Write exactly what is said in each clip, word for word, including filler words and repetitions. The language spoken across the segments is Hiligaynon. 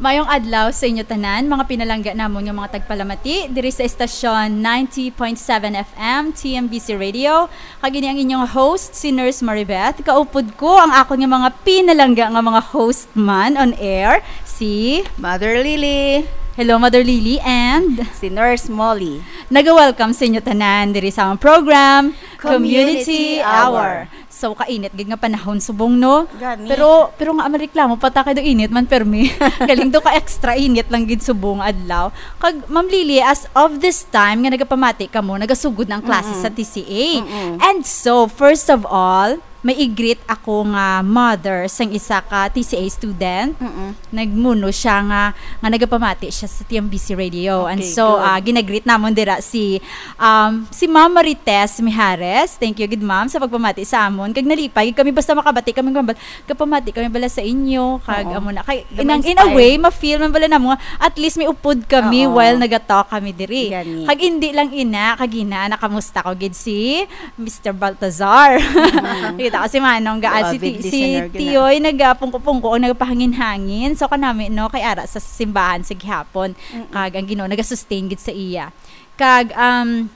Mayong adlaw sa inyo tanan, mga pinalangga namon nga mga tagpalamati diri sa estasyon ninety point seven F M T M B C Radio. Kag ini ang inyong host, si Nurse Maribeth. Kaupod ko ang akon nga mga pinalangga nga mga host man on air, si Mother Lily. Hello, Mother Lily, and si Nurse Molly. Naga-welcome sa inyo tanan diri sa among program, Community Community Hour. Hour. So, kainit gid nga panahon subong, no? Gani. Pero, pero nga, mareklamo pa ta kay daw init man permi. Galing daw ka extra init lang gid subong adlaw. Kag, Ma'am Lily, as of this time nga nagapamati kamo, nagasugod na ang klase Mm-mm. sa T C A. Mm-mm. And so, first of all, may i-greet ako nga mother sang isa ka T C A student. Mm-mm. Nagmuno siya nga, nga nagapamati siya sa T M B C Radio. And Okay, so, good. ah, ginagreet namon dira si, um, si Ma'am Marites Mijares. Thank you gid, ma'am, sa pagpamati sa amon. Kag nalipay gid kami basta makabati kami, ma'am, kapamati kami bala sa inyo. Kag Oo. amo na. Kay, The in, in a inspire. way, ma-feel man bala namo nga at least may upod kami Oo. while nagatalk kami diri. Gani. Kag hindi lang ina, kag ina, nakamusta ko gid si Mister Baltazar. Mm. Kita ko si Manong Gaal, si Avid Ti-, si listener gid na. Tiyoy nagapungko-pungko o nagapahangin-hangin. So, kanami, no, kay ara sa simbahan sa gihapon. Mm-mm. Kag ang Ginoo nagasustain gid sa iya. Kag, um,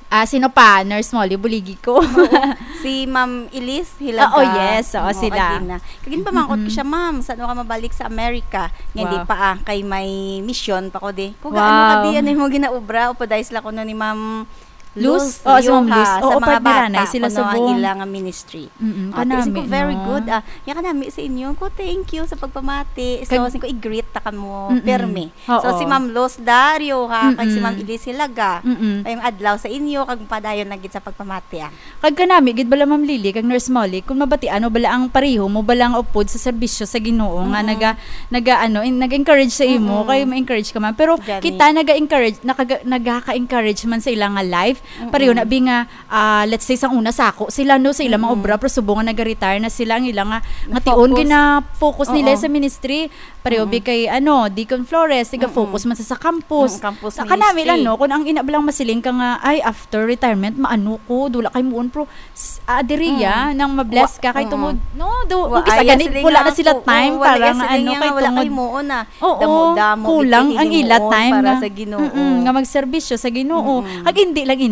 ah, sino pa? Nurse Molly, buligi ko. Oo. Si Ma'am Elise Hilaga. Ah, oh, yes. Oo, Oo, sila. Agina. Kag ginpamangkot ko Mm-mm. siya, "Ma'am, saan ka mabalik sa Amerika?" Nga, hindi Wow. pa, ah, kay may mission pa ko di. Kung gaano ka Wow. di, ano mo ginaobra, o paday sila kuno ni Ma'am Luz? Luz Oo, si Ma'am Rioja, Luz. sa Oo, mga part nila na, bata, sila kuno ang subong. ila nga ministry. Mm-mm, Ah, kanami, ko, "Very no? good, ah." Nga kanami sa inyo. Ko, "Thank you sa pagpamati." So, Kag- sing ko, "I-greet ta kamo, Mm-mm. permi." Oo. So, si Ma'am Luz Dario, ha, kag si Mm-mm. Ma'am Elise Hilaga. Mm-mm. Ay, ang adlaw sa inyo, kag padayon na gid sa pagpamati, ah. Kag kanami gid bala, Ma'am Lily, kag Nurse Molly, kung mabatian mo bala ang pareho mo bala nga upod sa serbisyo sa Ginoo nga Mm-mm. naga-, naga-, ano, in-, nag-encourage sa imo, Mm-mm. kay ma-encourage ka man. Pero Gani. kita naga-encourage, nakaga-, nagaka-encourage man sa ila nga life. Pareho Mm-mm. na bi nga, ah, let's say, sang una sako sila, no, sa ila mga Mm-mm. obra, pero subong nga naga-retire na sila, ang ila nga, nga tion, Na-focus. gina-focus nila Oo. sa ministry. Pareho bi Mm-mm. kay, ano, Deacon Flores, tiga Mm-mm. focus man sa, sa campus. Mm, campus Sa kanami lang, ministry. no, kung ang ina lang masiling ka nga, "Ay, after retirement, maano ko, dula kay muon," pero s-, ah, diri ya, Mm. nang ma-bless Wa-, ka kay mm. tungod, no, do, Wa-, kung isa ay, gani, sila wala nga na sila ako, time oo, wala para ya nga, sila ano, nga kay wala tungod. kay muon na. Oo, Damo-damo kulang gid ang ila himuon time para nga, sa Ginoo. mm-mm, nga magserbisyo sa Ginoo. Mm-mm. Kag hindi lang ina,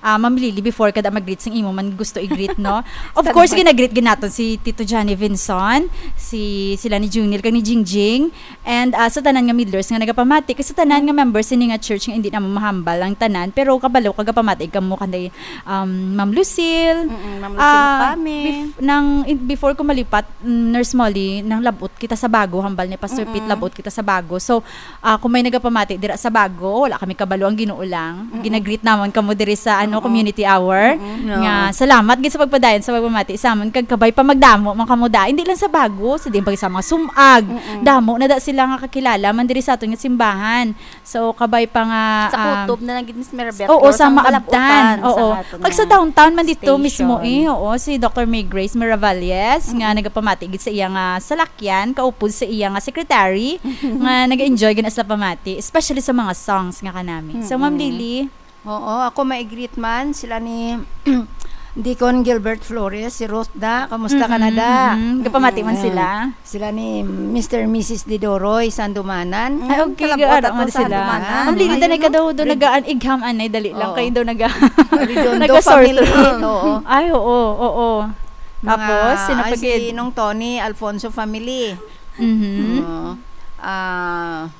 ah, Ma'am Lily, before ka da mag-greet sing imo man gusto i-greet, no? Of Sa course, naman. ginagreet gid naton si Tito Johnny Vinson, si, sila ni Junil kag ni Jingjing, and, ah, sa tanan nga Midlers nga nagapamati, kay sa tanan nga members sini nga church nga hindi na mahambal ang tanan, pero kabalo kagapamati kamo kanday, um, Ma'am Lucille. Mm-mm, Ma'am Lucille Ah, Ocame. bef-, nang, in, before ko malipat, mm, Nurse Molly, nang labot kita sa bago, hambal ni Pastor Pete, Mm-mm. labot kita sa bago. So, ah, kung may nagapamati dira sa bago, wala kami kabalo, ang Ginoo lang. Mm-mm. Ginagreet namon kamo diri sa, ano, Oo. community hour. Mm-mm. Nga, No. salamat gid sa pagpadayon sa pagpamati sa amon, kag kabay pa magdamo man kamo da. Hindi lang sa bago, sa diin pa sa mga sum-ag. Mm-mm. Damo na da sila nga kakilala man diri sa aton nga simbahan. So, kabay pa nga, Sa um, kutob na lang gid, Miss Maribeth, oo, pero sa sa Maabtan. Malabutan, sa Oo. aton Kag sa nga downtown man dito mismo station. eh, oo, si Doctor May Grace Miravalles, nga Mm-mm. nagapamati gid sa iya nga salakyan, kaupod sa iya nga secretary, nga nag-enjoy gid na sila pamati, especially sa mga songs nga kanami. So, Ma'am Mm-mm. Lily? Oo, ako mai-greet man sila ni Deacon Gilbert Flores, si Ruth da, kamusta ka na Mm-mm, da? mm-mm. Gapamati man Mm-mm. sila. Sila ni Mister and Missus Didoroy Sandumanan. Ay, Mm, okay, kalabutan garo man to sila. Sandumanan. Ma'am Lily, Ayun, tanay ka no? daw, daw Red- nagaan igham, anay, dali lang Oo. kayo daw naga-, Redondo naga-sore family, throat. oo. Ay, oo, oo. Mga, Tapos, sino pa ay, si gid? Nong Tony Alfonso family. Mhm. Oo. Ah,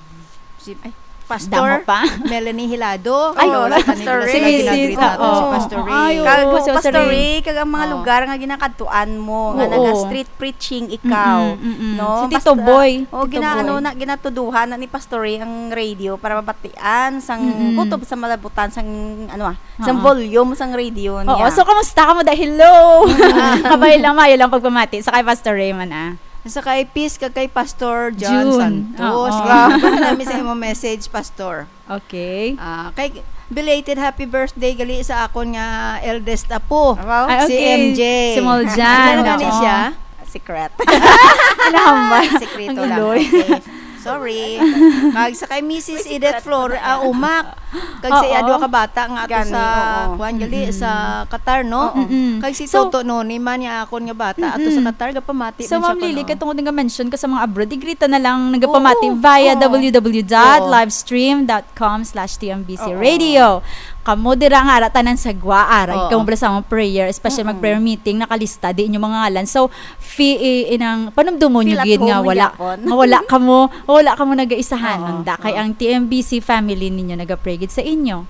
si Ay, Pastor damo pa. Melanie Hilado. Ay, Wala pa ni Pastor Blas Ray. Hilado. Si Missus, oo. Si Pastor Ray. Ay, oo. Kag, oo, si Pastor Pastor Ray. Ray, kag ang mga Oo. lugar nga ginakadtuan mo, nga Oo. naga-street preaching ikaw, Mm-mm, mm-mm. no? Si Tito Basta, Boy. oh, Tito gina-, Boy. ano na, ginatuduhan na ni Pastor Ray ang radio para mabatian sang Mm-mm. kutob sa malabutan sang, ano, ah, sang Oo. volume sang radio Oo, niya. So, kamusta ka mo? Dahil hello! Mm. Kabay lang, mayo lang pagpamati. Sa kay Pastor Raymond, ah. Sa kay Peace, kag kay Pastor John June. Santos. Oo. Grabe na mi sa imo message, Pastor. Okay. Ah, kay belated happy birthday gali sa akon nga eldest apo, Wow. Ay, si okay. M J. Si Moljan, Ano na ni oo. siya? Secret. Kinahambal. Sekreto Ang lang. iloy. Okay. Sorry. Kag sa kay Missus May Edith secret Flor-, na ah, yan. Umak. Kag sa iya duha ka bata nga ato sa, kuwan, gali, sa Qatar, no? Oo. Mm-mm. Kag si Toto Noni man, nga akon nga bata, ato sa Qatar, gapamati man siya kuno. So, Ma'am Lily, katungod nga mention ka sa mga abroad, i-greet ta na lang nagapamati via W W W dot livestream dot com slash T M B C Radio. Kamo dira nga ara tanan sa gwa, ara, kamo bala sa among prayer, especially mag-prayer meeting, nakalista di inyo mga ngalan. So, fi-, i-, inang panumdumon nyo gid nga wala, nga wala kamo, wala kamo nagaisahan. Nanda kay ang T M B C family ninyo nagapray gid sa inyo.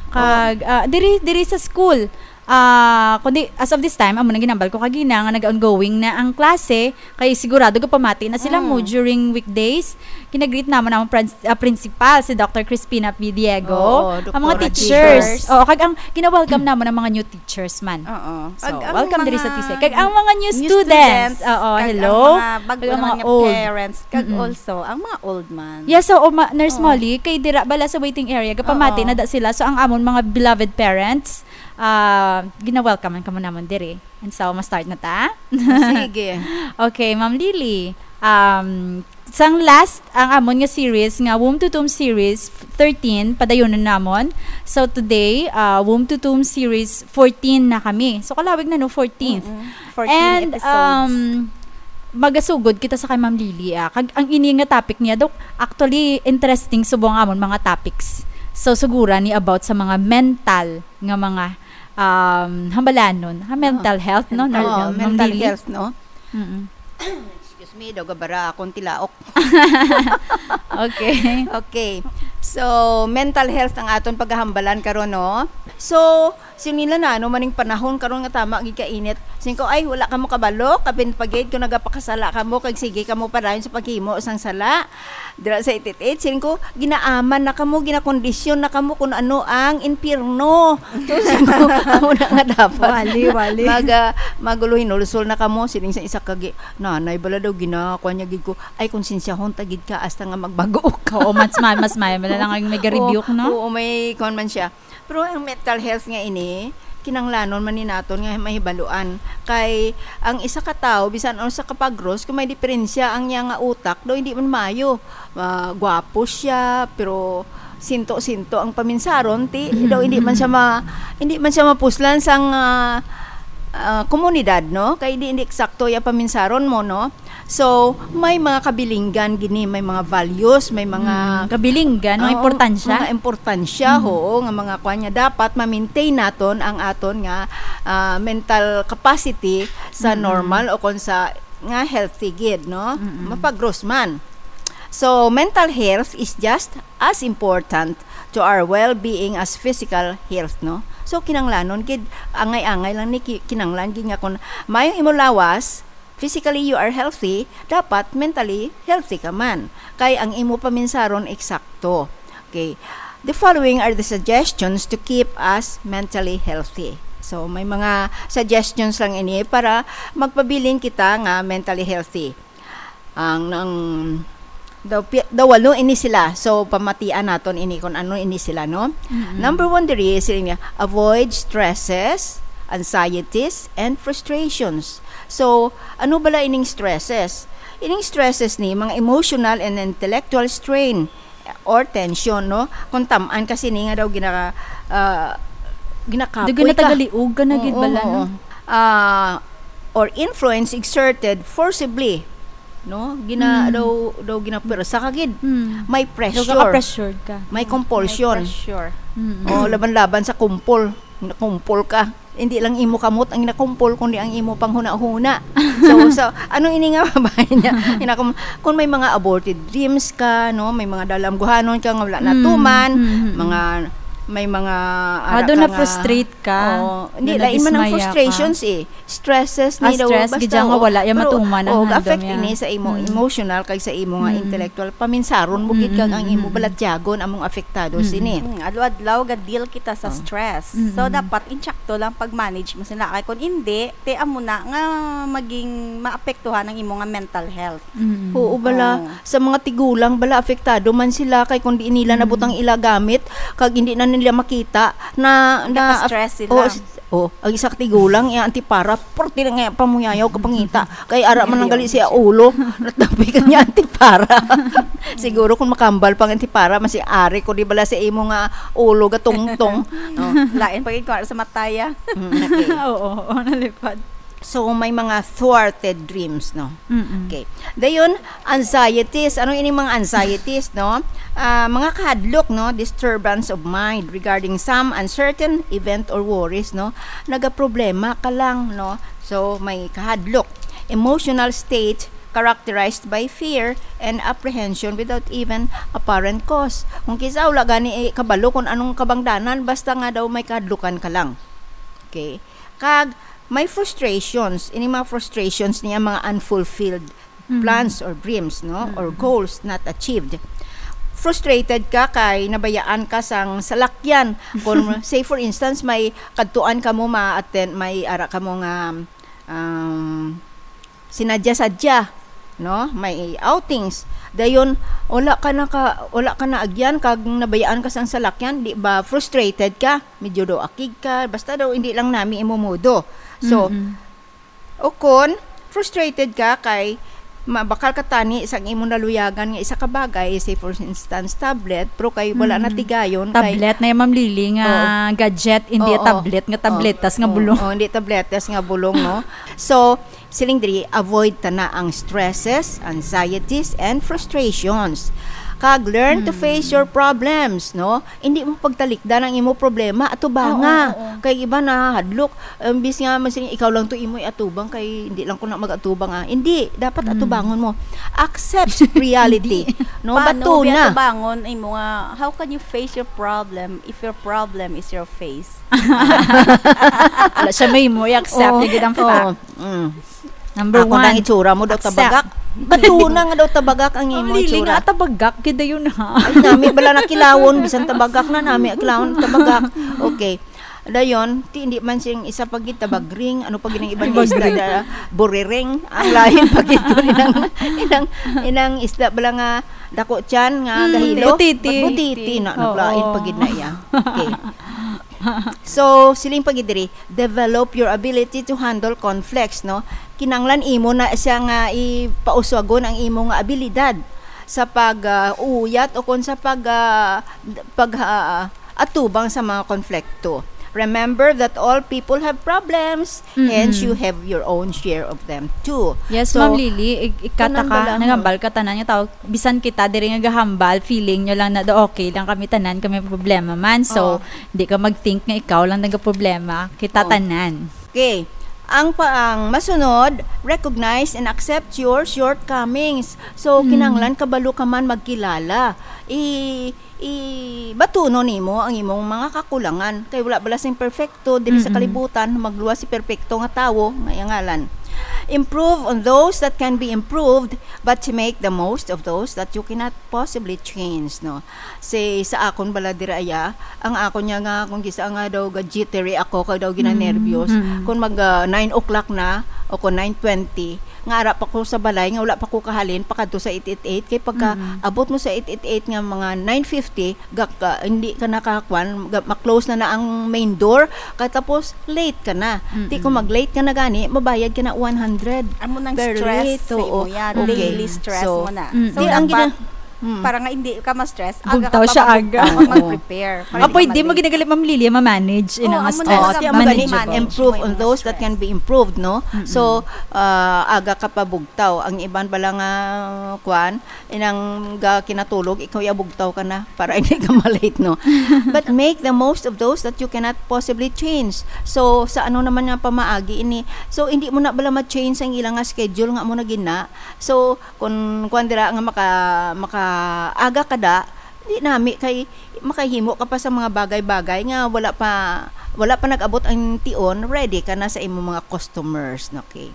Kag, ah, diri, diri sa school, ah, kundi as of this time, amo nang ginambal ko kagina nga nag-ongoing na ang klase, kay sigurado gapamati na sila mo during weekdays. Ginagreet namon ang prin-, ah, principal, si Doctor Crispina P. Diego, ang mga teachers. Oo, kag ang gina-welcome namon ang mga new teachers man. Oo. So, welcome diri sa T C. Kag ang mga new students. Oo, hello. Kag ang mga bag-o naman nga parents, kag also ang mga old man. Yes, so, Nurse Molly, kay dira bala sa waiting area, gapamati na da sila. So, ang amon mga beloved parents, ah, gina-welcome man kamo namon diri. And so, ma-start na ta? Sige. Okay, Ma'am Lily. Um, sang last, ang amon nga series nga Womb to Tomb series thirteen, padayonon namon. So, today, ah, Womb to Tomb series fourteen na kami. So, kalawig na, no? Fourteen. Mm-mm. Fourteen episodes. And, um, magasugod kita sa kay Ma'am Lily, ah. Kag ang ini nga topic niya, Dok, actually interesting subong amon mga topics. So, sugura ni about sa mga mental nga mga, um, hambalanon. Ha, mental health, no? Oo, Ma'am Lily? Mental health, no? Mm-mm. Excuse me, daw gabara akong tilaok. Okay. Okay. So, mental health ang aton paghahambalan karon, no? So, sinila na, ano man ning panahon karon nga tama gid ka init. Sing ko, "Ay, wala kamo kabalo, kapin pa gid kung nagapakasala kamo, kag sige kamo padayon sa paghimo sang sala." Dira sa eight eight eight, siling ko, ginaaman na kamo, ginakondisyon na kamo kung ano ang impyerno. So, siling ko, amo na nga dapat. Wali, wali. Mag, ah, maguluhinulsol na kamo, siling sa isa ka gi-, nanay bala daw, gina-, kuwan niya gid ko, "Ay, konsensyahon ta gid ka, hasta nga magbago ka." Oo, mas ma-, mas may, wala lang ang may ga-rebuke, no? Oo, oo, may kuwan man siya. Pero ang mental health nga ini, kinanglanon man ni naton nga mahibaluan. Kay ang isa ka tawo, bisan ano sa kapagros, kung may diferensya ang iya nga utak, daw hindi man maayo. Ah, gwapo siya, pero sinto-sinto ang paminsaron, ti, daw hindi man siya ma-, hindi man siya mapuslan sang, ah, ah, komunidad, no? Kay hindi, hindi eksakto iya paminsaron mo, no? So, may mga kabilinggan gini, may mga values, may mga Mm, kabilinggan, may Oo, importansya. Mga importansya, Mm. oo, nga mga kwan nga dapat ma-maintain naton ang aton nga, ah, mental capacity sa Mm. normal o kon sa nga healthy gid, no? Mm. Mapagros man. So, mental health is just as important to our well-being as physical health, no? So, kinanglanon gid, angay-angay lang ni ki-, kinanglan gid nga kung maayong imo lawas, physically you are healthy, dapat mentally healthy ka man. Kay ang imo paminsaron eksakto. Okay. The following are the suggestions to keep us mentally healthy. So, may mga suggestions lang ini para magpabilin kita nga mentally healthy. Ang, ang, daw, pi-, daw walo ini sila. So, pamatian naton ini kung ano ini sila, no? Mm-mm. Number one diri, sila niya, avoid stresses, anxieties, and frustrations. So, ano bala ining stresses? Ining stresses ni mga emotional and intellectual strain or tension, no? Kung tam-an kasi ni nga daw gina-, ah, ginakapoy ka. Daw ginatagaliog ka na gid Oo, bala, oo. no? Ah, or influence exerted forcibly, no? Gina-, Mm. daw, daw ginapwersa ka gid. Mm. May Daw pressure. kaka-pressured ka. May Mm. compulsion. May pressure. Mm. O, laban-laban sa kumpol. Kumpol ka. Hindi lang imo kamot ang nakumpol, kundi ang imo panghuna-huna. So, so, ano ini nga babae niya? Inakum-, kung may mga aborted dreams ka, no? May mga dalamguhanon ka nga wala Mm, natuman, mm, mm. mga, may mga ara Ado ka nga na-frustrate ka, Oo. Hindi, na lain man ang nadismaya ka. frustrations eh. Stresses Ah, ni daw, stress, basta, gid siya nga oo. wala, ya Pero, matuman ang oo, handom affect niya. ini sa imo Mm. emotional kag sa imo nga Mm. intellectual. Paminsaron mo gid kag ang imo Mm, mm, mm. balatyagon among apektado Mm. sini. Mm, adlaw-adlaw ga-deal kita sa Oh. stress. So, Mm-mm. dapat insakto lang pag-manage mo sila. Kay kung hindi, te amo na nga maging maapektuhan ang imo nga mental health. Mm. Oo, bala, Oo. sa mga tigulang, bala, apektado man sila kay kung di nila Mm. nabutang ila gamit, kag hindi na nila makita na, na Naka-stress sila. Oh, s-, oh, ang isa ka tigulang, iya antipara, purti na nga pamuyayaw ka pangita. Kay ara man ang gali siya ulo, natabi ka niya antipara. Siguro kung makambal pang antipara, masi ari ko di bala sa imo nga ulo gatungtong. Oh. Lain pa gid kung ara sa mataya. Mm, okay. Oo, oo, nalipad. So, may mga thwarted dreams, no? Mm-mm. Okay. Dayon, anxieties. Ano ini mga anxieties, no? Ah, mga kahadlok, no? Disturbance of mind regarding some uncertain event or worries, no? Nagaproblema ka lang, no? So, may kahadlok. Emotional state characterized by fear and apprehension without even apparent cause. Kung kisa wala gani, eh, kabalo kung anong kabangdanan, basta nga daw may kahadlukan ka lang. Okay? Kag may frustrations. Ini mga frustrations niya, mga unfulfilled Mm. plans or dreams, no? Or Mm. goals not achieved. Frustrated ka kay nabayaan ka sang salakyan. Kung, say, for instance, may kadtuan ka mo ma-attend, may ara ka mo nga, um, sinadya-sadya, no? May outings. Dayon, wala ka na ka, wala ka na agyan kag nabayaan ka sang salakyan, di ba frustrated ka? Medyo daw akig ka, basta daw hindi lang nami imo modo. So, Mm-mm. o kon, frustrated ka kay mabakal ka tani sang imo naluyagan nga isa ka bagay, say for instance, tablet, pero kay wala na Mm. tigayon, kay Tablet na yung, Ma'am Lily, nga Oo. gadget, hindi Oo. tablet nga Oo. tabletas nga Oo. bulong. Oo, hindi tabletas nga bulong, no? So, siling diri, avoid ta na ang stresses, anxieties, and frustrations. Kag learn to Hmm. face your problems, no? Hindi mo pagtalikdan ang imo problema, atubanga. Oo, oo, oo. Kay iba nahadlok, imbis nga masiling, "Ikaw lang to imo iatubang, kay hindi lang ko na mag-atubang, ah." Hindi, dapat Mm. atubangon mo. Accept reality, Hindi. no? Paano Bato na. Atubangon imo nga, how can you face your problem if your problem is your face? Wala siya may mo, i-accept Oo, niya gid ang oo. fact. Mm. Number Ako na ang one, itsura mo daw accept. tabagak. Bato na nga daw tabagak ang imo Ang lili itsura. nga, tabagak, gid dayon, ha? Ay, nami bala na kilawon, bisan tabagak na, nami kilawon, tabagak. Okay. Dayon, ti, hindi man siyang isa pa gid tabagring, ano pa gid ang iba nga isda, Tabagring. da-, buriring, ang lain pa gid ko, inang, inang, inang isda bala nga dako tiyan nga Mm, gahilo. Butiti. Butiti na, Oo. naglain pa gid na iya. Okay. So, siling pa gid diri, develop your ability to handle conflicts, no? Kinahanglan imo na siya nga ipauswagon ang imo nga abilidad sa pag, ah, uyat o kon sa pag, ah, d-, pag, ah, atubang sa mga konflikto. Remember that all people have problems, hence Mm-mm. you have your own share of them too. Yes, So, Ma'am Lily, ik-, ikata kanang ka, bala, nagambal ka tanan nga tao, bisan kita diri nga gahambal, feeling nyo lang na do, okay lang kami tanan, kami problema man. So, Oo. di ka mag-think nga ikaw lang nagaproblema, kita Oo. tanan. Okay. Ang pa, ang masunod, recognize and accept your shortcomings. So, Mm. kinahanglan kabalo ka man magkilala. I-, i-, batunon nimo ang imong mga kakulangan. Kay wala bala sing perfecto diri sa Mm-mm. kalibutan, magluwas si perfecto nga tawo, may ngalan. Improve on those that can be improved, but to make the most of those that you cannot possibly change, no? Say, sa akon bala dira, iya, ang akon niya nga, kung gisa nga daw ga-jittery ako, kag daw ginanerbyos, Mm, mm. kung mag, ah, nine o'clock na, o kung nine twenty, nga ara pa ko sa balay, nga wala pa ko kahalin, pakadto sa eight eight eight, kay pagka Mm. abot mo sa eight eight eight nga mga nine fifty, gak-, ah, hindi ka nakakuan, ga-, ma-close na na ang main door, kay tapos late ka na. Ti kung Mm. mag-late ka na gani, mabayad ka na one hundred Amo nang per stress late, sa oo. imo yan. Okay. Daily stress So, mo na. Mm. So, Di, ang dapat, gina-, mm. para nga hindi ka ma-stress, aga Bugtaw ka pa siya, mag-, aga. mag-, Oo. mag-prepare. Para Ah, hindi pwede ka mo ma-late. ginagali, Ma'am Lily, ma-manage Oo, inang amo na stress. Oo, lang ti, amo gani, Manageable. improve on Manage those that stress. can be improved, no? Mm-mm. So, ah, aga ka pa bugtaw. Ang iban bala nga, kuan, inang ga kinatulog, ikaw ya bugtaw ka na para hindi ka ma-late, no? But make the most of those that you cannot possibly change. So, sa ano naman nga pamaagi ini? So, hindi mo na bala ma-change ang ilang nga schedule nga mo na gina. So, kung kuan dira nga maka-, makaaga ka da, di nami kay makahimo ka pa sa mga bagay-bagay nga wala pa, wala pa nag-abot ang tion, ready ka na sa imong mga customers, okay?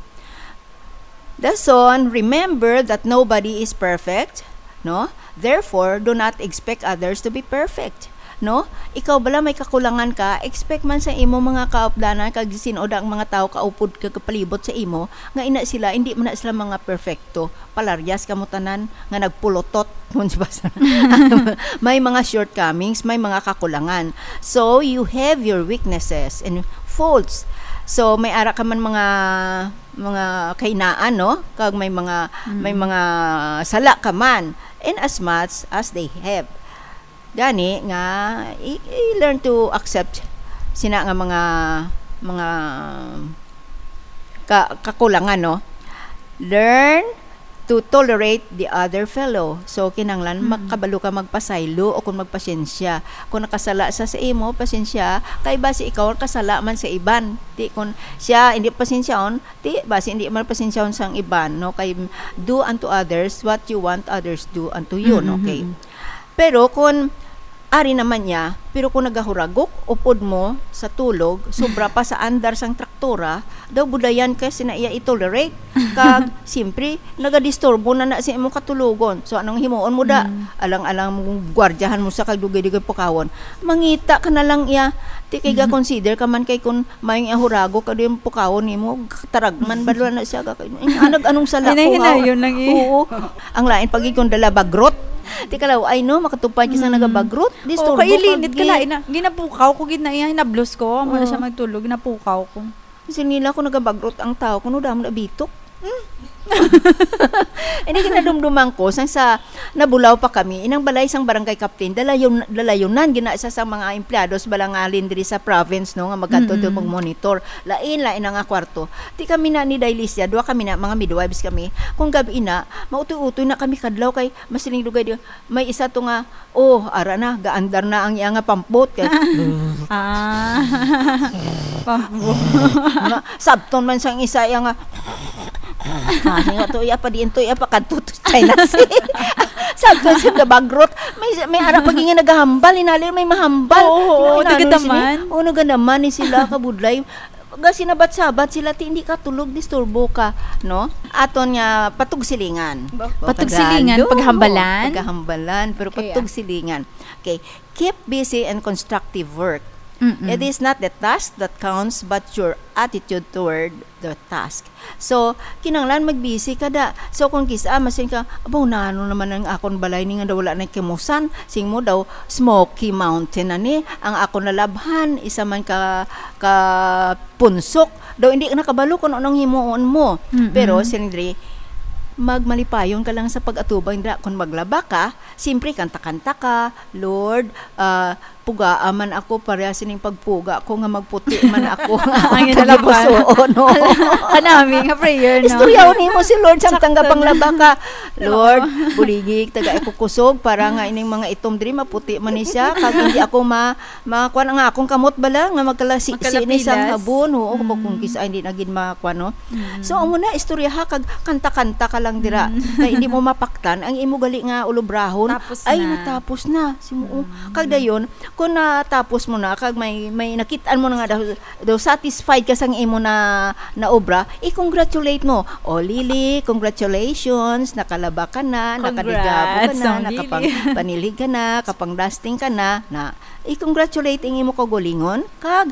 Dason, remember that nobody is perfect, no? Therefore, do not expect others to be perfect. No? Ikaw bala may kakulangan ka, expect man sa imo mga kaupdanan kag sin-o da ang mga tawo kaupod kag kapalibot sa imo, nga ina sila, hindi man na sila mga perfecto. Palaryas kamo tanan nga nagpulotot, kun sa basa. May mga shortcomings, may mga kakulangan. So, you have your weaknesses and faults. So, may ara ka man mga, mga kahinaan, no? Kag may mga, may Mm. mga sala ka man, in as much as they have. Gani nga, i-, i-learn to accept sina nga mga, mga ka-, kakulangan, no? Learn to tolerate the other fellow. So, kinahanglan Mm. makabalo ka magpasaylo o kung magpasensya. Kung nakasala sa, sa imo, pasensya, kay basi ikaw ang kasala man sa iban. Di kung siya hindi pasensyaon, di basi hindi man pasensyaon sang iban, no? Kay do unto others what you want others do unto you, Mm, no? Okay. mm, mm. Pero kung ari naman niya, pero kung nagahuragok, upod mo sa tulog, sobra pa sa andar sang traktora, daw bulayan ka sina iya i-tolerate. Kag, siyempre, nagadisturbo na na sa imong katulogon. So, anong himuon mo da? Mm. Alang-alang mo, gwardyahan mo sa kag dugay-dugay pukawon. Mangita ka na lang iya. Ti kay Mm. ga-consider ka man kay kung may nga hurago ka yung pukawon nimo, taragman ba na siya? Ga-, anag-, anong sala Ay, ko nga? nahinayon lang eh. Oo. Ang lain pag ikon dala bagrot. Ti kalaw, ay no, makatupad ka sa Mm. nagabagrot. Disturbo Oo, kailinit ka ka, gid. Lain na. Ginapukaw ko gid na iya, hinablos ko. Amo na Oo. siya magtulog, ginapukaw ko. Kasi nila ko nagabagrot ang tao, kuno damo na bitok. Hmm. Hindi kinadumduman ko, sang sa nabulaw pa kami, inang balay sang barangay captain, dalayon, dalayunan, gina sa, sa mga empleyado sa balangalin diri sa province, no, nga magkadto to Mm-mm. mag-monitor. Lain, lain na nga kwarto. Ti kami na ni Dailisya, duha kami na, mga midwives kami. Kung gabi na, mautoy-utoy na kami kadlaw kay masiling dugay di, may isa to nga, oh, ara na, gaandar na ang iya nga pampot. Kay, Ah. Pampot. Nga, sabton man sang isa iya nga, ah, nga to, iya pa diin to, iya pa kadto to China Sea. Sabton siya gabagrot. May, may ara pag nga nagahambal, inali, may mahambal. Oo, oo, Tingnan, taga ano, sini? Taman. Oo, naga naman ni sila, kabudlay. Ga sinabat-sabat sila, ti hindi ka tulog, disturbo ka, no? Aton nga patugsilingan. Ba-, O, patugsilingan, Tagalog, paghambalan? Paghambalan, pero Kaya. Patugsilingan. Okay. Keep busy and constructive work. Mm-mm. It is not the task that counts, but your attitude toward the task. So, kinahanglan magbisi ka da. So, kung kisa, masin ka, "Abaw, nano naman ang akon balay ni nga daw wala na kimusan?" Sing mo daw, "Smoky Mountain na ni. Ang akon nalabhan, isa man ka, ka punsok." Daw, hindi ka nakabalo kung anong himuon mo. Mm-mm. Pero, siyempre, magmalipayon ka lang sa pag-atubang dira. Kung maglaba ka, siyempre, kanta-kanta ka, "Lord, ah, pugaa man ako, pareha sining pagpuga ko nga magputi man ako." Ang Ang inalapan. Tagipusoon, no? Kanami nga prayer, no? Istoryaw nimo si Lord sa Sakto tangga na. Panglaba ka. Lord, Oo. Buligi taga ako kusog para nga ining mga itom diri maputi man ni siya, kag hindi ako ma-, makuan ang akong kamot bala nga magkalasi-si ni sang Magkalapilas. Habon. Oo, kung, kung Mm. kisa hindi na gid makuan, no? Mm. So, amo na, istorya ha, kag kanta-kanta ka lang dira. Mm. Kay hindi mo mapaktan ang imo gali nga ulobrahon. Tapos Ay, na. Natapos na. Si mo, oh. Mm. Kag dayon, kung natapos mo na, kag may, may nakitaan mo na nga daw, daw satisfied ka sang imo na, na obra, i-congratulate mo. "Oh, Lily, congratulations, nakalaba ka na, nakadagabo ka Congrats, na, Ma'am nakapang-, Lily. Panilhig ka na, kapang-dusting ka na," na, i-congratulate ang imo kaugalingon, kag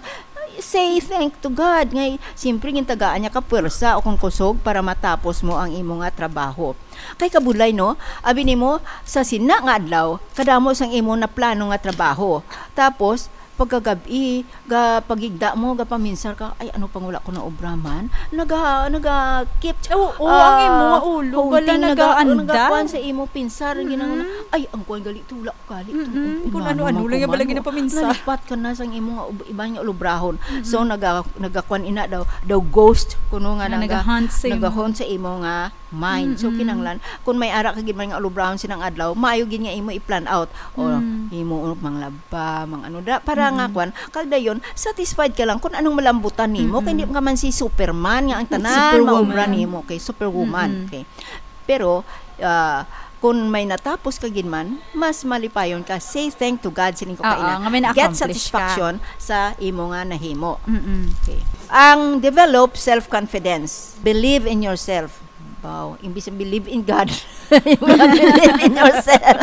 say thank to God. Ngay, siyempre, gintagaan niya ka puwersa o kung kusog para matapos mo ang imo nga trabaho. Kay kabudlay, no? Abi nimo, sa sina nga adlaw, kadamo sang imo na plano nga trabaho. Tapos, pagkagab-i, ga pagigda mo, ga paminsar ka, "Ay, ano pang wala ko na obra man?" Naga, naga keep, Oo, oo, ang ah, imo nga ulo, haunting, wala naga, nagaanda. Nagakuan sa imo pinsar, Mm-mm. Ginang-, "Ay, ang kuan gali to, wala ko gali to." Mm-mm. Ang Kung inano ano-ano mo lang yan kuman pala mo. Ginapaminsar. Nalipat ka na sang imo nga ub-, iban nga ulobrahon. Mm-mm. So, naga-, nagakuan ina daw, daw ghost, kuno nga Nga naga-, nagahunt sa imo. Nagahunt sa imo nga mind. So, Mm-mm. Kinahanglan, kung may ara ka gid man nga ulobrahon sinang adlaw, maayo gid nga imo i-plan out. O, Mm. Imo manglaba, mang ano da, para nga Mm-mm. Kwan, kag dayon, satisfied ka lang kung anong malambutan nimo. Mm-mm. Kay hindi ka man si Superman nga ang tanan Superwoman. Maobra nimo, okay, superwoman, Mm-mm. Okay. Pero, ah, kung may natapos ka gid man, mas malipayon ka. Say thank to God, sining ko Oo, kaina. Nga may Get na-accomplish ka. Satisfaction sa imo nga nahimo. Mm-mm. Okay. Ang develop self-confidence. Believe in yourself. Wow, imbis na believe in God. Believe in yourself.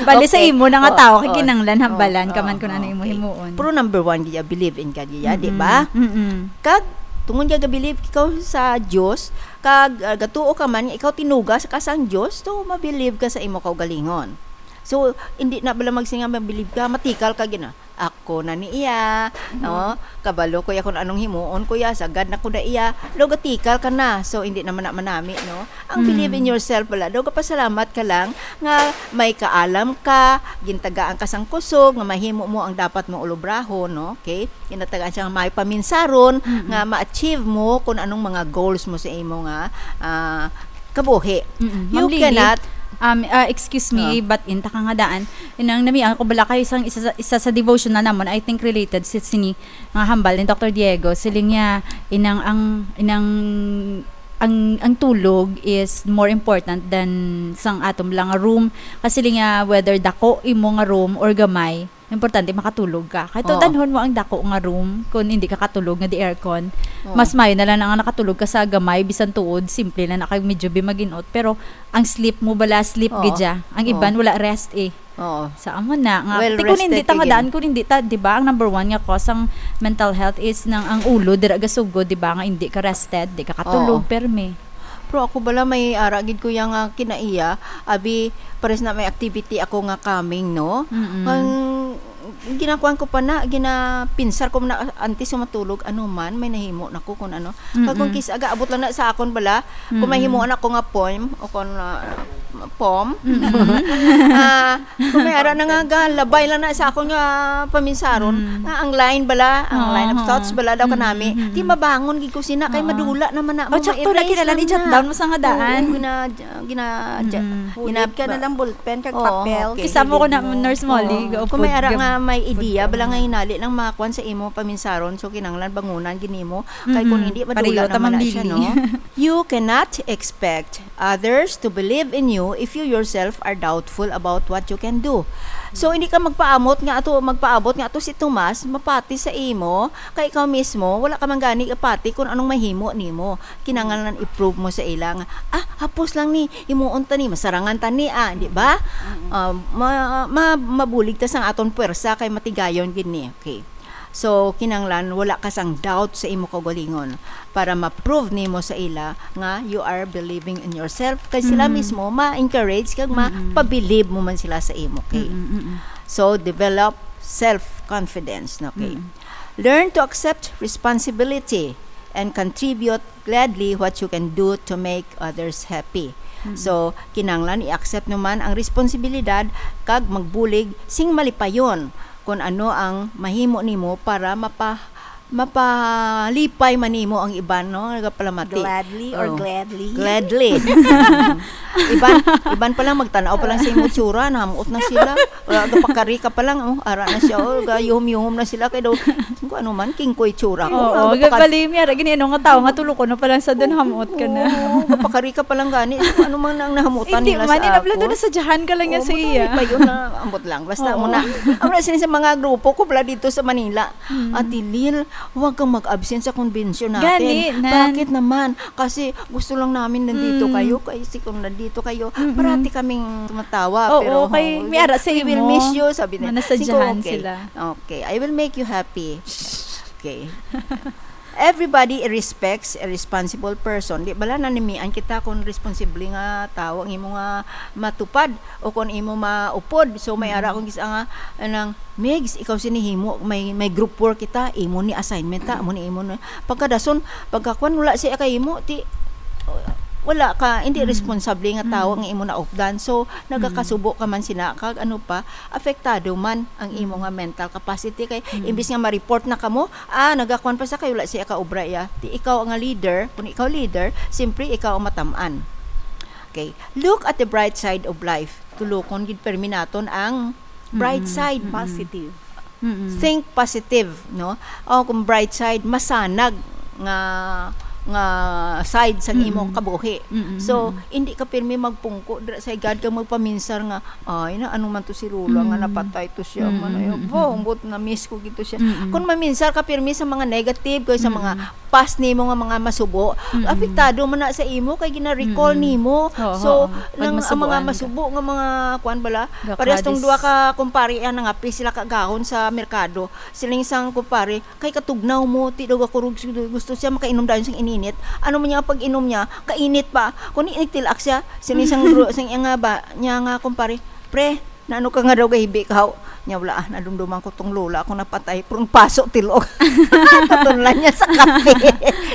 Bali sa Okay. imo na nga Oh, tawo, kay oh. kinahanglan Oh, hambalan ka oh, man kung ano oh, imo okay. himuon. Pero number one, gid, believe in God, gid, di Mm-mm. ba? Mm-mm. Kag, tungod nga ga-believe ikaw sa Dios, kag, ah, gatuo ka man nga ikaw tinuga sa kasang Dios, so, ma-believe ka sa imo kaugalingon. So, hindi na bala magsinga ma-believe ka, matikal ka gina. Ako na ni iya, Mhm. no? Kabalo ko ya kung anong himuon ko ya, sagad na ko na iya. Daw gatikal ka na. So, hindi naman na manami, no? Ang Mm. believe in yourself pala, daw gapasalamat ka lang nga may kaalam ka, gintagaan ka sang kusog, nga mahimo mo ang dapat mo ulubrahon, no? Okay? Ginatagaan siya nga may paminsaron, Mm-mm. nga ma-achieve mo kung anong mga goals mo sa imo nga, ah, kabuhi. Mm-mm. You Ma'am Lily, cannot um, ah, excuse me, Ah. but in ta ka nga daan, inang nami ako bala kayo sang isa, sa- isa sa devotional namon, I think related si sini nga hambal ni Doctor Diego. Siling niya, inang ang inang ang ang tulog is more important than sang atom lang nga room. Kasi siling niya, whether dako imo nga room or gamay, importante makatulog ka. Kahit Oo. Danhon mo ang dako nga room, kung hindi ka katulog nga di aircon, Oo. mas mayo na lang ang nakatulog ka sa gamay, bisan tuod, simple na na kag medyo bimaginot. Pero ang sleep mo bala, sleep Oo. gid siya. Ang Oo. iban, wala rest eh. Oo. Sa amo na nga. Well Ti kung hindi rested ta nga ka daan, gid. Kung hindi ta, di ba, ang number one nga cause ang mental health is nang ang ulo, dira gasugod, di ba, nga hindi ka rested, di ka katulog, Oo. permi. Pero ako bala may ara gid ko yang, ah, kinaiya, abi, pares na may activity ako nga coming, no? Mm-mm. Ang ginakuan ko pa na, ginapinsar ko na antes ko matulog, ano man, may nahimo na ko kung ano. Kag kung Mm-mm. kis-, aga, abot lang na sa akon bala, kung may Mm-mm. himuan ako nga poem, o kung, ah, poem, Mm-mm. ah, kung may ara na nga, ga, labay lang na sa akon nga paminsaron, Mm. nga ang line bala, ang line of Oo. thoughts bala daw kanami, Mm-mm. di mabangon gid ko sina, kay Oo. madula naman na, Oh, tsakto na, ma-erase kinala lang ni jot na. Down mo sa nga daan. Oo, gina-, gina-, Mm. gina-, Hulid ka na lang ballpen kag Oo, papel. okay. Kisa mo ko na, Hulid mo. Nurse Molly, Oo. go Kung may put-, ara go nga may put-, idea, bala nga ano. Hinali lang makakuan sa imo paminsaron, so kinahanglan bangunan gid nimo. Kay kung Mm-mm. hindi, madula Pareho ta, naman Ma'am na siya, Lily. no? You cannot expect others to believe in you if you yourself are doubtful about what you can do. So, hindi ka magpaamot nga ato, magpaabot nga ato si Tomas, mapati sa imo, kay ikaw mismo, wala ka man gani kapati kung anong mahimo nimo. Kinahanglan i-prove mo sa ila nga, "Ah, hapos lang ni, himuon ta ni, masarangan ta ni, ah," di ba? Mm-mm. Ah, ma-, ma-, mabulig ta sang aton puwersa kay matigayon gid ni. Okay. So, kinahanglan wala ka sang doubt sa imo kaugalingon para ma-prove nimo sa ila nga you are believing in yourself. Kay sila Mm. mismo ma-encourage kag Mm-mm. mapabilib mo man sila sa imo. Okay. Mm-mm, mm-mm. So, develop self-confidence. Okay. Mm-mm. Learn to accept responsibility and contribute gladly what you can do to make others happy. Mm. So, kinahanglan i-accept naman ang responsibilidad kag magbulig sing malipayon kung ano ang mahimo nimo para mapa-, mapalipay man nimo ang iban, no? Nagapalamati. Gladly or Oh. gladly? Gladly. Iban, iban pa lang, magtanaw pa lang sa imo tsura, nahamot na sila. Wala, gapakari ka pa lang, oh, ara na siya, oh, gayuhom-yuhom na sila, kay daw, kung ano man, kingkoy tsura ko, Oo, ah, gapakari- gapalimya, ra gini, ano nga tao nga tulukon na pa lang sa dun, hamot ka na. Oo, gapakari ka pa lang gani, kung ano man ang nahamutan Hindi nila man, sa inabla akon. Doon na sa Jahan ka lang yan Oo, sa mo iya. Doon pa yun na, ambot lang. Basta Oo. mo na, ang wala sila sa mga grupo ko pala dito sa Manila. Mm. Ate Lil, huwag kang mag-absent sa convention natin. Gani, nan. Bakit naman? Kasi gusto lang namin nandito Mm. kayo. Kasi kung nandito kayo, Mm-mm. parati kaming tumatawa. Oo, Pero, kay oh, may ara sa we will imo. miss you, sabi niya. Sige, Manasadyahan okay. sila. Okay, I will make you happy. Okay. Everybody respects a responsible person. Di bala nanimian kita kung responsible nga tao ang imo nga matupad o kung imo maupod. So, may Mm. ara akong gis-, nga, anang, "Migs, ikaw sini himo, may, may group work kita, imo ni assignment ta, amo ni imo ni." Pagkadason, pagkakuan, wala siya kay imo, ti, wala ka, hindi Mm. responsable nga tao Mm. ang imo naupdan. So, Mm. nagakasubo ka man sina, kag ano pa, apektado man ang imo Mm. nga mental capacity. Kay, Mm. imbis nga ma-report na kamo, ah, nagakuan pa sa kay wala siya kaobra iya. Ti ikaw nga leader, kung ikaw leader, simpre ikaw ang matam-an. Okay. Look at the bright side of life. Tulokon gid permi naton ang bright Mm-mm. side. Mm-mm. Positive. Mm-mm. Think positive, no? O kung bright side, masanag nga nga side sang Mm-mm. imong kabuhi. Mm-mm, So, mm-mm. hindi ka pirmi magpungko dira sa higad kag magpaminsar nga, "Ay, na, ano man to si Lola nga Mm. napatay to siya, man, ay, Mm-mm, mm-mm. Bonggot na miss ko gito siya." Mm-mm. Kung maminsar ka pirmi sa mga negative kay sa mga Mm-mm. past nimo nga mga masubo, Mm-mm. apektado man na sa imo kay gina-recall Mm-mm. nimo. Oo, So, oo. Pag nang ang mga masubuan ka. masubo nga mga kuan bala, Gakadis. parehas tong duha ka kumpare ang nangape sila kagahon sa merkado. Siling sang kumpare, "Kay katugnaw mo, ti daw ako rug gusto siya makainom dayon sang ininit." Ano man niya pag-inom niya, kainit pa. Kung nagtilak siya, siling sang bro, sang iya nga ba, niya nga kumpare, "Pre, naano ka nga daw gahibi ka?" Niya, "Wala, ah, nadumduman ko tong lola ko napatay, pero paso tilok." Tatunlan niya sa kape.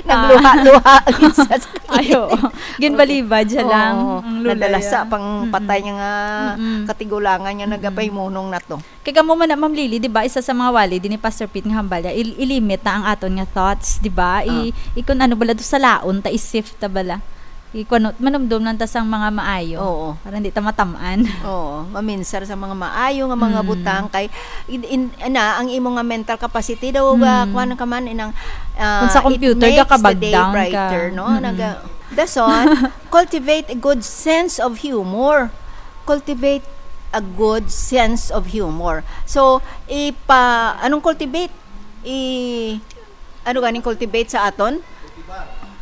Nagluha-luha gid siya sa Ay, oo. Ginbalibad siya lang, Oo, ang lola nadalasa niya. pang Mm-mm. patay niya nga Mm-mm. katigulangan niya Mm-mm. nagapahimunong na to. Kay kamo man na, Ma'am Lily, di ba, isa sa mga wali din ni Pastor Pete nga hambal niya, il-, i-limit ta ang aton nga thoughts, di ba? I, Ah. i-, kung ano bala, do sa laon ta, i-sift ta bala. I-, kung ano, manumdom lang ta sang mga maayo. Oo. Para hindi ta matamaan. Oo, maminsar sa mga maayo nga mga Mm. butang kay in, in, ana, ang imo nga mental capacity daw ga Mm. kuan ka man inang, ah, Kung sa it computer, makes gakabag the day down ka. brighter, no? Mm-mm. Naga, dason, cultivate a good sense of humor. Cultivate a good sense of humor. So, ipa, anong cultivate? I, ano ganing cultivate sa aton?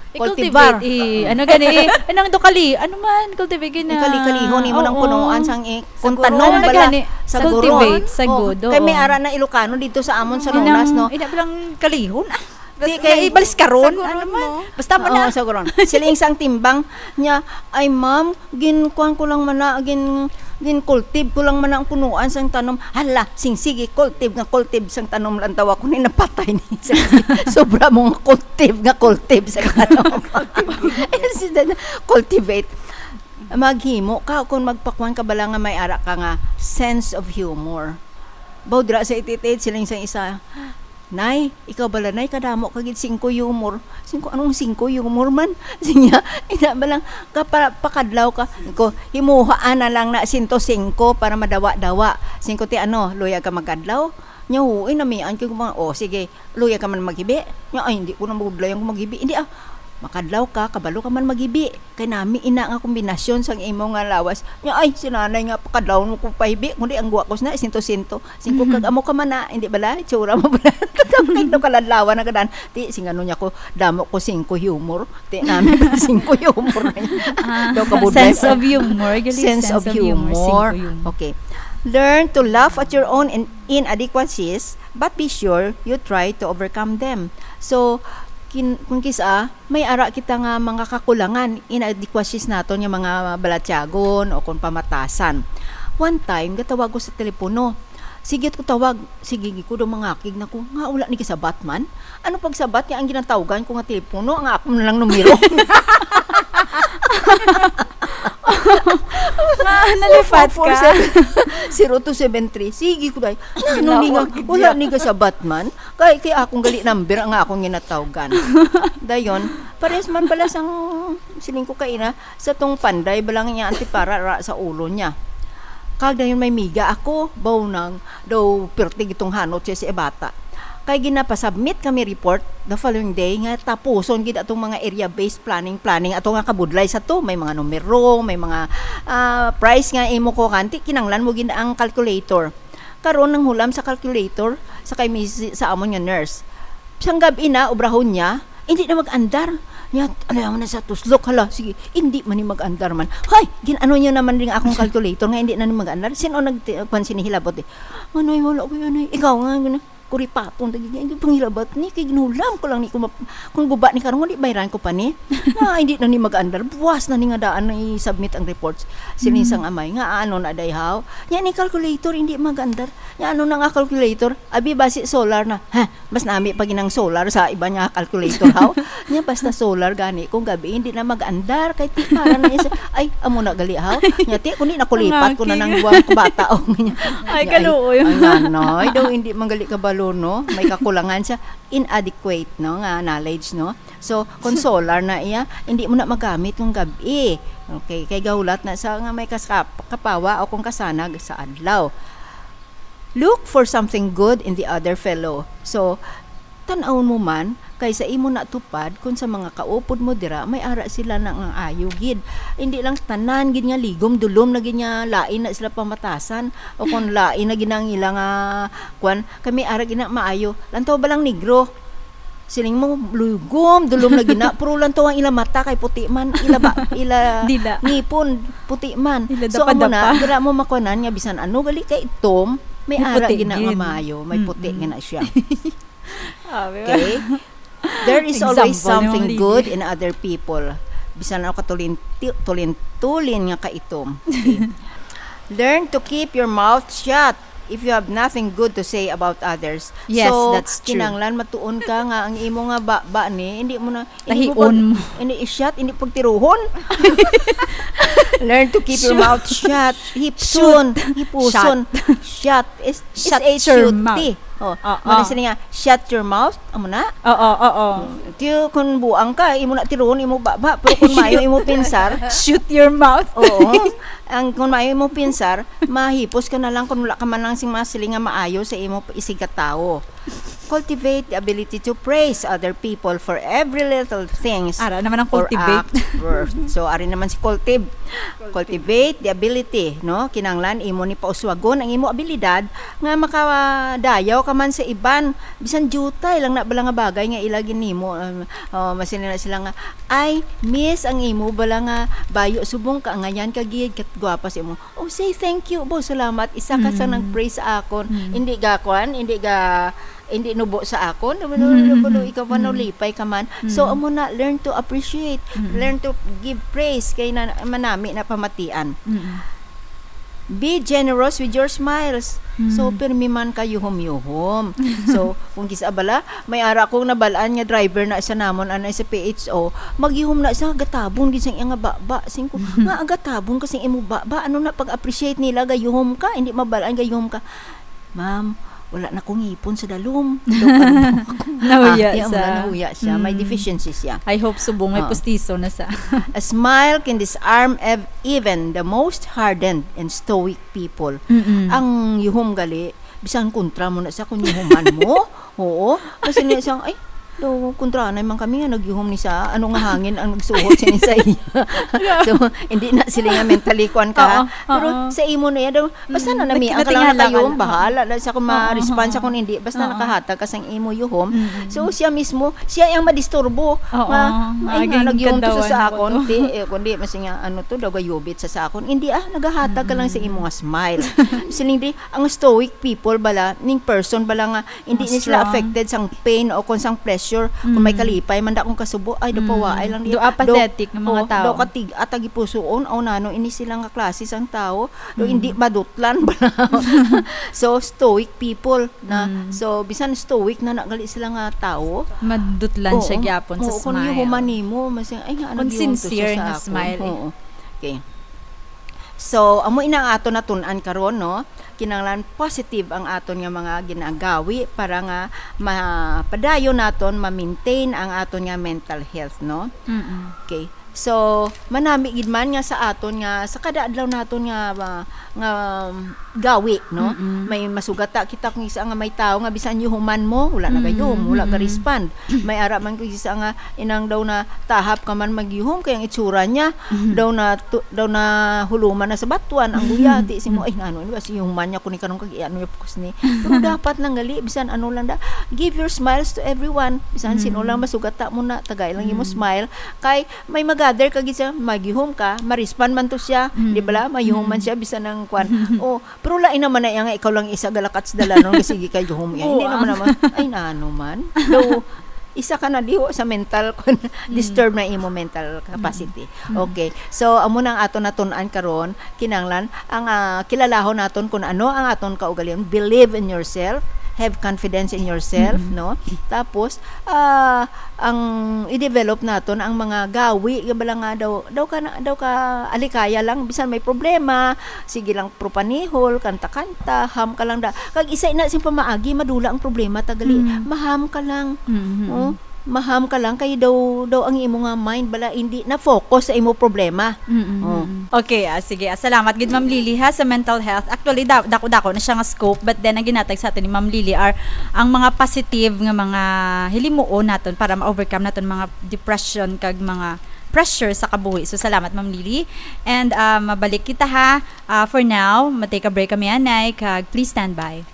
I-cultivate, Cultivar. I, ano gani, eh, anong do kali, ano man, cultivate gina. Ikali-kalihon nimo nang Oo. punuan sang i-, kung Sa tanom guro, ano bala, gani? sa guro. Cultivate, sa Oh, good, kay may oo. ara na Ilocano dito sa amon sa Inang, Nonas, no? Ina, bilang kalihon, ah. Di Basta, kay ibalis karon, sa ano guro man. mo. Basta mo Oo, na. Sa guro. Siling sang timbang niya, "Ay, ma'am, ginkuan ko lang man na, gin, ginkultive ko lang man na ang punuan sang tanom." Hala, sing sige, kultive nga kultive sang tanom lang daw ako ni napatay ni. Sobra mo nga kultive nga kultive sa tanom. Instead na cultivate. Maghimo ka kung magpakuan ka bala nga may ara ka nga sense of humor. Baw dira sa ititid, siling sa isa, "Nay, ikaw bala, nay, kadamo ka gid singko humor." Singko, "Anong singko humor man?" Sinya, ina bala, kapa-, pakadlaw ka. Ko, "Himuha na lang na sento singko para madawa-dawa." Singko, "Ti ano, luyag ka magkadlaw?" Nya, "Uy, namian ko mga," "Oh, sige, luyag ka man maghibi?" Nya, "Ay, hindi ko na magudlayan kung maghibi." "Hindi ah, makadlaw ka, kabalo ka man maghibi. Kay nami ina nga kombinasyon sang imo nga lawas." Nya, "Ay, si nanay nga pakadlawon mo ko pahibi, kundi ang guwa ko na, sento-sento." Singko, Mhm. "Kag amo ka man na, hindi bala? Itsura mo bala?" Kay no kaladlawan na gadan. Ti, sing ano niya ko, "Damo ko singko humor." Ti, nami singko humor na niya. Ah, Daw kabudlay sense pa. of humor. Gali, Sense of humor. Singko humor. Okay. Learn to laugh at your own in- inadequacies, but be sure you try to overcome them. So, kin- kung kisa, may ara kita nga mga kakulangan, inadequacies naton nga mga balatyagon o kung pamatasan. One time, gatawag ko sa telepono. Sige ko tawag, sige ko daw mangakig na ko. Nga wala ni kasabat man. Ano pagsabat niya ang ginatawgan ko nga telepono, ang ako na lang numero. Ah, nalipat ka. Zero two seven three. Sige ko, day. Ano ni nga, Ginawag wala niya. Ni kasabat man. Kay, kay akong gali number ang akong ginatawgan. Dayon, pares man pala sang siling ko kaina, sa tong panday, balang niya antipara ra sa ulo niya. Kag dayon may miga ako, baw nang daw pirti gitong hanot siya sa bata. Kay ginapasubmit kami report the following day nga tapuson gid atong mga area-based planning, planning ato nga kabudlay sa to. May mga numero, may mga, ah, price nga imo ko kanti, kinanglan mo gid ang calculator. Karon nang hulam sa calculator, sa kay Miss, sa amon nga nurse. Sang gab-i na, obrahon niya, hindi na mag-andar. Niya, ano naman na sa tuslok, hala, sige, hindi man ni mag-andar man. Hoy, gin-ano niyo naman rin akong calculator nga hindi na ni mag-andar. Sino nag-, kwan, sinihilabot eh. Manoy, wala ko yun eh. Ikaw nga, gano'n. Kuripapon, lagi niya, hindi panghilabot ni, kay ginulam ko lang ni, kung, map-, kung guba ni karon, hindi bayran ko pa ni. Na, hindi na ni mag-andar. Buwas na ni nga daan na i-submit ang reports. Siling Mm. sang amay, nga ano na day haw? Yan ni calculator, hindi mag-andar. Yan ano na nga calculator? Abi, basi solar na. Ha? Mas nami pa ginang solar sa iba niya calculator, haw? Niya basta solar gani, kung gabi, hindi na mag-andar. Kay ti, para na isa, ay, amo na gali, haw? Niya ti, kundi nakulipat ko na Ang nang aking. Buwan ko bata, o niya. Ay, Niya, kaluoy. Ang nanay, daw hindi man gali kabalo, no? May kakulangan siya. Inadequate, no? Nga knowledge, no? So, kung solar na iya, hindi mo na magamit kung gabi. Okay, kay gahulat na sa nga may kas-, kap-, kapawa o kung kasanag sa adlaw. Look for something good in the other fellow. So, Tan-awon mo man, kay sa imo natupad, kung sa mga kaupod mo dira, may ara sila na nga ayo gid. Hindi lang tanan gid nga ligom, dulom na gid nga lain na sila pamatasan, o kung lain na gid ang ila nga, kwan, kay may ara gid na maayo. Lantaw ba lang negro? Siling mo, lugom, dulom na gid na, pero lantaw ang ila mata kay puti man, ila ba, ila Dila. ngipon, puti man. Ila So, amo na, dapa-dapa. dira mo makuanan nga bisan ano, gali kay itom, may May ara puti gid na nga gid. maayo, may puti Mm-mm. gid na siya. Ah, di ba? Okay? There is always Example yung something mga good lili. in other people. Bisan ako katulin-, ti-, tulin-tulin nga kaitom. Okay. Learn to keep your mouth shut if you have nothing good to say about others. Yes, So, that's true. kinanglan matuon ka nga ang imo nga ba, ba ni, hindi mo na, hindi mo Tahion pag, mo. hindi i-shut, hindi pagtiruhon. Learn to keep your Shut. mouth shut. Hipson, Shoot. hipuson. Shut. Shut. Is, Shut S H U T. your mouth. Oh, Oo. muna sila nga, "Shut your mouth." Amo na. Oo, oo. Tiyo, kung buang ka, imo na tiruon, imo baba. Pero kung maayo imo pinsar, Shoot your mouth. Oo. Ang, kung maayo imo pinsar, mahipos ka na lang kung wala ka man lang sing mga siling nga maayo sa imo isigkatawo. Cultivate the ability to praise other people for every little things Ara naman ang or cultivate. act worth. So, ari naman si cultive. Cultivate the ability, no? Kinanglan imo ni pauswagon ang imo abilidad nga makadayaw ka man sa iban. Bisan diutay lang na bala nga bagay nga ila ginimo, um, oh, masin na sila nga, "Ay, miss, ang imo bala nga bayo subong ka, ngayan ka gid, kat gwapa sa imo." Oh, say thank you, bo, salamat. Isa ka sa Mm. nag-praise sa akon. Mm. Hindi ga kwan, hindi ga, hindi nubo sa akon. Nubo, nubo, Mm, nubo, mm, ikaw pa, mm. nalipay ka man. So, Mm. amo na, learn to appreciate. Mm. Learn to give praise kay na, manami na pamatian. Mm. Be generous with your smiles. So, Mm. pirmi man ka yuhom-yuhom. So, kung kisa bala, may ara kong nabalaan nga driver na isa namon, anay sa P H O, magyuhom na siya, gatabon gid sing iya nga baba. Sing ko, "Nga gatabon ka sing imo baba? Ano na pag-appreciate nila, gayuhom ka, hindi mabalaan, gayuhom ka." "Ma'am, wala na kong ngipon sa dalom." Daw ka na daw ako. Nahuya Ah, iya, sa wala, nahuya siya. May Mm. deficiency siya. I hope subong may Oo. pustiso na sa A smile can disarm ev-, even the most hardened and stoic people. Mm-mm. Ang yuhom gali, bisan kontra mo na sa kung yuhuman mo. Oo. Kasi niya siyang, "Ay, daw, kontra na man kami nga nagyuhom ni sa, ano nga hangin ang nagsuhot siya ni sa iya." So, hindi na sila nga mentally kuan ka, ha? Oo, Pero oo. sa imo na yan, daw, basta Mm, na nami, ang nagkinatingala kalang na kayo, ka lang. bahala na siya kung Oo, ma-response oo. siya kung hindi, basta Oo. nakahatag ka sang imo yuhom. Mm-mm. So, siya mismo, siya ang madisturbo. Oo, Nga, "Ay, nga, maging nagyuhom to sa kadawan akon." ako to. Di, eh, kundi, mas nga, ano to, daw gayubit sa, sa akon. Hindi, ah, nagahatag ka lang sa Mm. imo nga smile. Siling di, ang stoic people bala, ning person bala nga, hindi Mas ni sila strong. affected sang pain o kung sang pleasure, kung may Mm. kalipay man da akong kasubo, ay, daw Mm. pawaay lang Do niya. apathetic Daw, nga mga oh, tao. daw katig-, at tagipusoon, o nano, ini sila nga klase sang tao, daw Mm. hindi madutlan bala. So, stoic people na, Mm. so, bisan stoic na nagali sila nga tao, Madutlan siya Oo. gyapon sa Oo, kung smile. yuhuman nimo, mas, "Ay, nga, ano Kung gyud to siya sincere sa nga akon?" smile, eh. Oo. Okay. So, amo ina ang aton natun-an karon, no? Kinahanglan positive ang aton nga mga ginagawi para nga mapadayon naton ma-maintain ang aton nga mental health, no? Mm-mm. Okay. So, manami gid man nga sa aton nga, sa kada adlaw naton nga, ah, nga, um, gawi, no? Mm-mm. May masugata kita kung isa nga may tao nga bisan yuhuman mo, wala na gayuhom, Mm, wala mm-mm. ga-respond. May ara man kung isa nga inang daw na tahap ka man magyuhom, kay ang itsura niya, Mm-hmm. daw na tu-, daw na huluman na sa batuan, ang guyati, si mo, Mm-hmm. "Ay, nano, ano ba, si yuhuman niya, kuni karon kag ano niya, focus ni." Pero dapat lang gali, bisan ano lang da, give your smiles to everyone. Bisan sino Mm. lang masugata mo na, tagay lang imo Mm. smile. Kay may mag-gather ka gid siya, magyuhom ka, ma-respond man to siya, Mm. di ba la? Mayuhom man Mm. siya, bisan ang kwan. Mm. Oh, pero lain naman na iya nga ikaw lang isa galakat sa dalanon, nga sige kay yuhom iya. Hindi Buang. naman naman. Ay, nano man. Though, isa ka na diho sa mental, kwan, Mm. disturb na imo mental capacity. Mm. Okay. So, amo na ang aton natun-an karon. Kinahanglan ang, ah, kilalahon naton kung ano ang aton kaugalingon. Believe in yourself, have confidence in yourself, Mm-mm. no? Tapos, ah, ang i-develop naton ang mga gawi, nga bala nga daw, daw ka na, daw ka alikaya lang, bisan may problema, sige lang propanihol, kanta-kanta, ham ka lang da. Kag isa na sing pamaagi, madula ang problema, tagali, Mm. maham ka lang. Mm-hmm. Oh, maham ka lang, kay daw, daw ang imo nga mind, bala, hindi na focus sa imo problema. Mm-hmm. Oh. Okay, ah, sige. Ah, salamat gid, Ma'am Lily, ha, sa mental health. Actually, da- dako-dako na siya nga scope, but then ang ginhatag sa aton ni Ma'am Lily are ang mga positive nga mga hilimuon naton para ma-overcome naton mga depression kag mga pressure sa kabuhi. So, salamat, Ma'am Lily. And, ah, mabalik kita, ha. Ah, for now, ma-take a break kami, anay, kag please stand by.